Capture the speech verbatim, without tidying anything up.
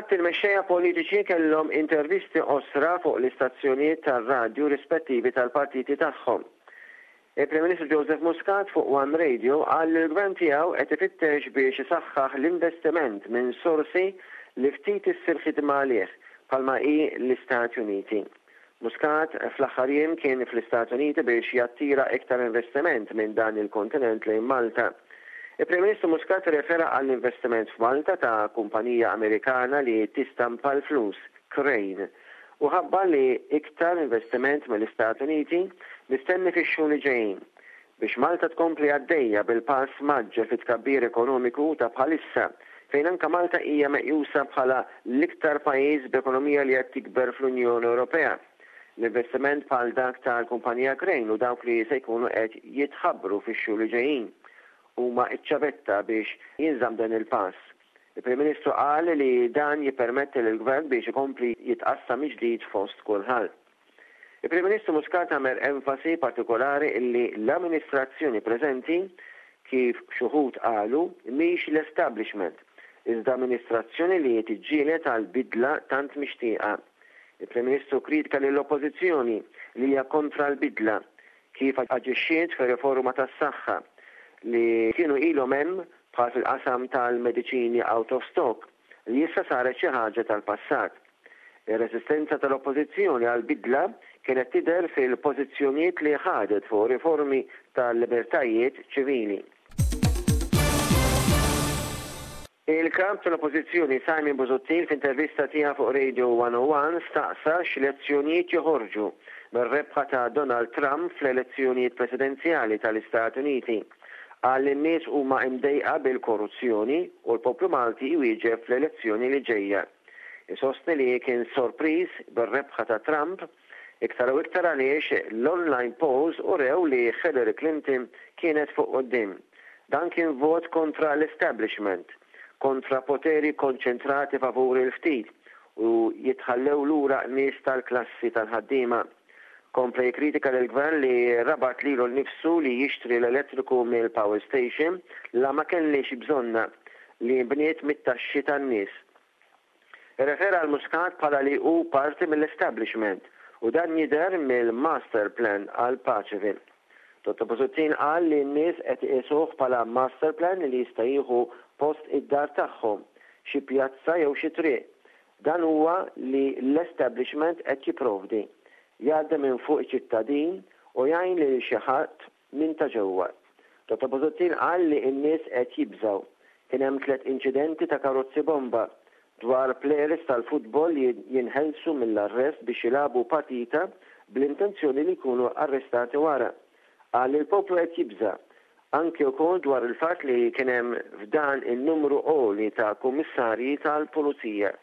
Il-Ħadd il-mexxejja politiċi kellhom intervisti qosra fuq l-istazzjonijiet tar-radju rispettivi tal-partiti tagħhom. Il-Prim Ministru Joseph Muscat fuq One Radio qal li l-gvern tiegħu qed ifittex biex isaħħaħ l-investiment minn sorsi li ftit issir ħidma għalih bħalma hi l-Istati Uniti. Muscat fl-aħħar jiem kien fl-Istati Uniti biex jattira iktar investiment minn dan il-kontinent lejn Malta. Il-Prim Ministru Muscat refera għall-investiment f'Malta ta' kumpanija Amerikana li tistampa l-flus, Crane, u ħabbar li iktar investiment mill-Istati Uniti mistenni fix-xhur li ġejjin biex Malta tkompli għaddejja bil-pass mgħaġġel fit-tkabbir ekonomiku ta' bħalissa fejn anka Malta hija meqjusa bħala l-iktar pajjiż b'ekonomija li qed tikber fl-Unjoni Ewropea. L-investiment bħal dak tal-kumpanija Crane u dawk li se jkunu qed jitħabbru fix-xhur li ġejjin huma iċ-ċavetta biex jinżamm dan il-pass. Il-Prim Ministru qal li dan jippermetti lill-Gvern biex ikompli jitqassam ġdid fost kulħadd. Il-Prim Ministru Muscat għamel enfasi partikolari illi l-amministrazzjoni preżenti kif xi wħud qalu mhix l-establishment, iżda amministrazzjoni li tiġġieled għal bidla tant mixtieqa. Il-Prim Ministru kritika lill-Oppożizzjoni li hija kontra l-bidla kif aġixxiet fir-riforma tas-saħħa li kienu ilhom hemm bħal fil-qasam tal-mediċini out of stock li issa saret xi ħaġa tal-passat. Ir-resistenza tal-Oppożizzjoni għal bidla kienet tidher fil-pożizzjonijiet li ħadet fuq riformi tal-libertajiet ċivili. Il-kap tal-Oppożizzjoni Simon Busuttil f'intervista tiegħu fuq Radio one oh one staqsa x'lezzjonijiet joħorġu mir-rebħa ta' Donald Trump fl-elezzjonijiet presidenzjali tal-Istati Uniti. Qal li n-nies huma imdejqa bil-korruzzjoni u l-poplu Malti jwieġeb fl-elezzjoni li ġejja. Isostni li kien sorpriż bir-rebħa ta' Trump iktar u iktar għaliex l-online polls urew li Hillary Clinton kienet fuq quddiem. Dan kien vot kontra l-establishment, kontra poteri konċentrati favur il-ftit u jitħallew lura nies tal-klassi tal-ħaddiema. Kompla jikkritika lill-gvern li rabat lilu nnifsu li jixtri l-elettriku mill-power station la ma kellix bżonna li nbniet mit-taxxi tan-nies. Irrefera għal Muscat bħala li hu parti mill-establishment u dan jidher mill-master plan għal Paceville. Dottor Busuttil qal li n-nies qed iqisuh bħala master plan li jista' jieħu post id-dar tagħhom, xi pjazza jew xi triq. Dan huwa li l-establishment qed jipprovdi. Jgħaddi minn fuq iċ-ċittadin u jgħin lil xi ħadd minn ta' ġewwa. Dottor Busuttil qal li n-nies qed jibżgħu. Kien hemm tliet inċidenti ta' karozzi bomba dwar players tal-futbol li jinħelsu mill-arrest biex jilagħbu partita bl-intenzjoni li jkunu arrestati wara. Qal li l-poplu qed jibża' anke wkoll dwar il-fatt li kien hemm f'dan in-numru għoli ta' kummissarji tal-pulizija.